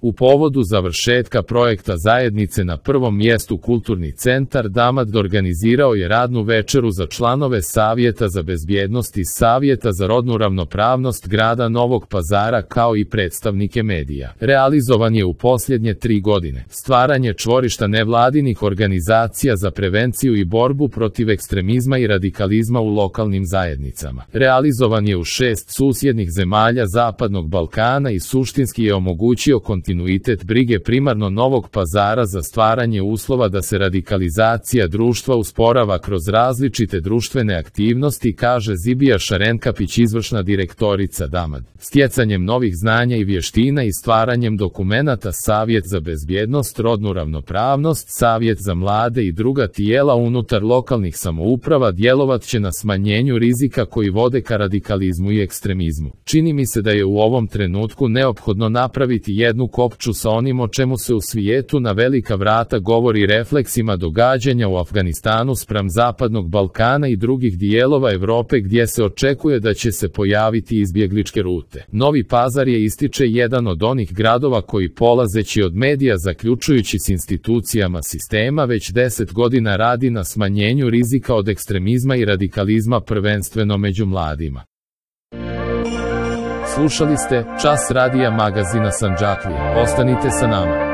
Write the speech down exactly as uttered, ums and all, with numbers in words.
U povodu završetka projekta zajednice na prvom mjestu Kulturni centar Damad organizirao je radnu večeru za članove Savjeta za bezbjednost i Savjeta za rodnu ravnopravnost grada Novog Pazara kao i predstavnike medija. Realizovan je u posljednje tri godine. Stvaranje čvorišta nevladinih organizacija za prevenciju i borbu protiv ekstremizma i radikalizma u lokalnim zajednicama. Realizovan je u šest susjednih zemalja Zapadnog Balkana i suštinski je omogućio kontinuitet kontinuitet brige primarno Novog Pazara za stvaranje uslova da se radikalizacija društva usporava kroz različite društvene aktivnosti, kaže Zibija Šarenkapić, izvršna direktorica Damad. Stjecanjem novih znanja i vještina i stvaranjem dokumenata Savjet za bezbjednost, rodnu ravnopravnost, Savjet za mlade i druga tijela unutar lokalnih samouprava djelovat će na smanjenju rizika koji vode ka radikalizmu i ekstremizmu. Čini mi se da je u ovom trenutku neophodno napraviti jednu kopču sa onim o čemu se u svijetu na velika vrata govori, refleksima događanja u Afganistanu spram Zapadnog Balkana i drugih dijelova Europe gdje se očekuje da će se pojaviti izbjegličke rute. Novi Pazar je, ističe, jedan od onih gradova koji, polazeći od medija zaključujući s institucijama sistema, već deset godina radi na smanjenju rizika od ekstremizma i radikalizma, prvenstveno među mladima. Slušali ste Čas radija magazina Sandžaklije. Ostanite sa nama.